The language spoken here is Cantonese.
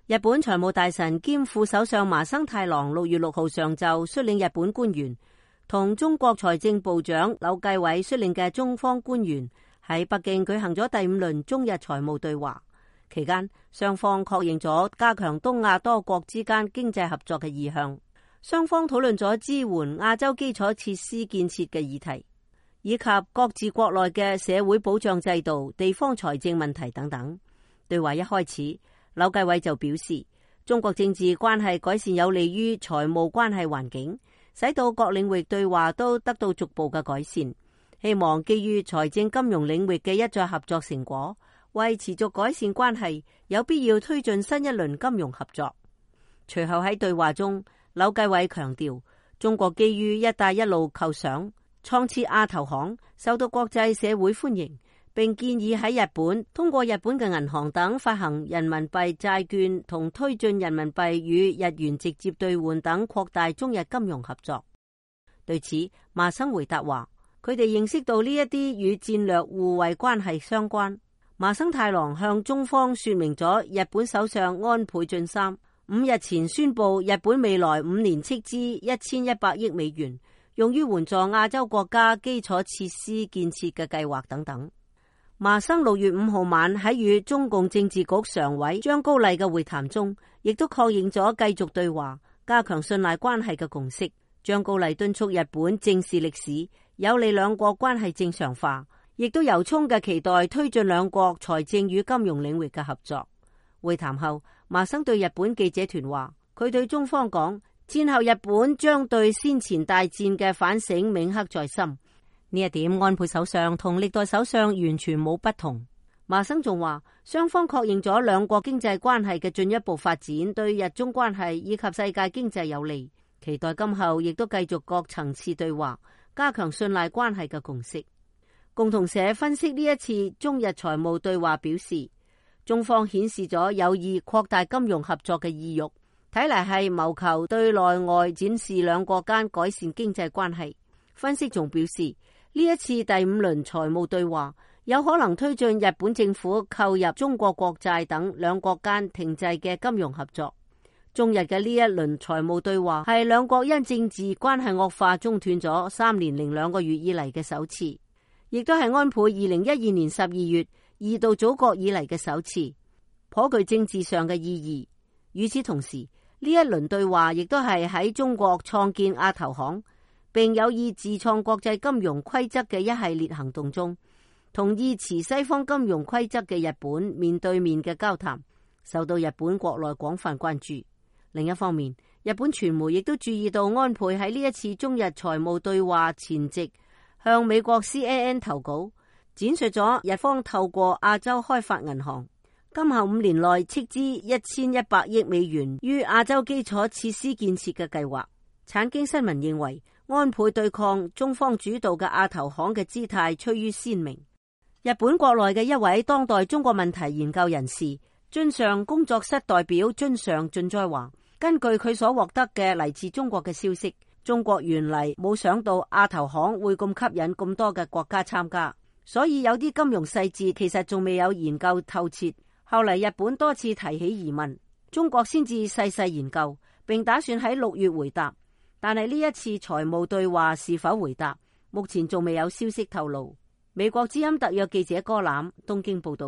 日本財務大臣兼副首相麻生太郎6月6號上晝率領日本官員同中國財政部長柳繼偉率領嘅中方官員喺北京舉行咗第5輪中日財務對話。期間，雙方確認咗加強東亞多國之間經濟合作嘅意向。雙方討論咗支援亞洲基礎設施建設嘅議題，以及各自國內嘅社會保障制度、地方財政問題等等。對話一開始，柳繼偉就表示，中國政治關係改善有利於財務關係環境，使到各領域對話都得到逐步嘅改善。希望基於財政金融領域嘅一再合作成果，為持續改善關係，有必要推進新一輪金融合作。隨後喺對話中，柳繼偉強調，中國基於一帶一路構想創設亞投行，受到國際社會歡迎，並建議喺日本通過日本嘅銀行等發行人民幣債券同推進人民幣與日元直接兌換等，擴大中日金融合作。對此，麻生回答話，佢哋認識到呢一啲與戰略互惠關係相關。麻生太郎向中方說明咗日本首相安倍晉三5日前宣布日本未來5年斥資1100億美元，用於援助亞洲國家基礎設施建設嘅計劃等等。麻生6月5號晚喺與中共政治局常委張高麗嘅會談中，亦都確認咗繼續對話、加強信賴關係嘅共識。張高麗敦促日本正視歷史，有利兩國關係正常化，亦都由衷嘅期待推進兩國財政與金融領域嘅合作。會談後，麻生對日本記者團話，佢對中方講，戰後日本將對先前大戰嘅反省銘刻在心。呢一點安倍首相同歷代首相完全冇不同。麻生仲話，雙方確認咗兩國經濟關係嘅進一步發展對日中關係以及世界經濟有利，期待今後亦都繼續各層次對話，加強信賴關係嘅共識。共同社分析呢一次中日財務對話表示，中方顯示咗有意擴大金融合作嘅意欲，睇嚟係謀求對內外展示兩國間改善經濟關係。分析仲表示，呢一次第5輪財務對話有可能推進日本政府購入中國國債等兩國間停滯嘅金融合作。中日嘅呢一輪財務對話係兩國因政治關係惡化中斷咗3年零2個月以嚟嘅首次，亦都係安倍2012年12月2度祖國以嚟嘅首次，頗具政治上嘅意義。與此同時，呢一輪對話亦都係喺中國創建亞投行並有意自創國際金融規則嘅一系列行動中，同意持西方金融規則嘅日本面對面嘅交談，受到日本國內廣泛關注。另一方面，日本傳媒亦都注意到安倍喺呢一次中日財務對話前夕向美國 CNN 投稿，展述咗日方透過亞洲開發銀行今後5年內斥資1100億美元於亞洲基礎設施建設嘅計劃。產經新聞認為，安倍對抗中方主導嘅亞投行嘅姿態趨於鮮明。日本國內嘅一位當代中國問題研究人士津上工作室代表津上俊哉話，根據佢所獲得嘅嚟自中國嘅消息，中國原嚟冇想到亞投行會咁吸引咁多嘅國家參加，所以有啲金融細節其實仲未有研究透徹。後嚟日本多次提起疑問，中國先至細細研究，並打算喺6月回答。但係呢一次財務對話是否回答，目前仲未有消息透露。美國之音特約記者柯欖東京報道。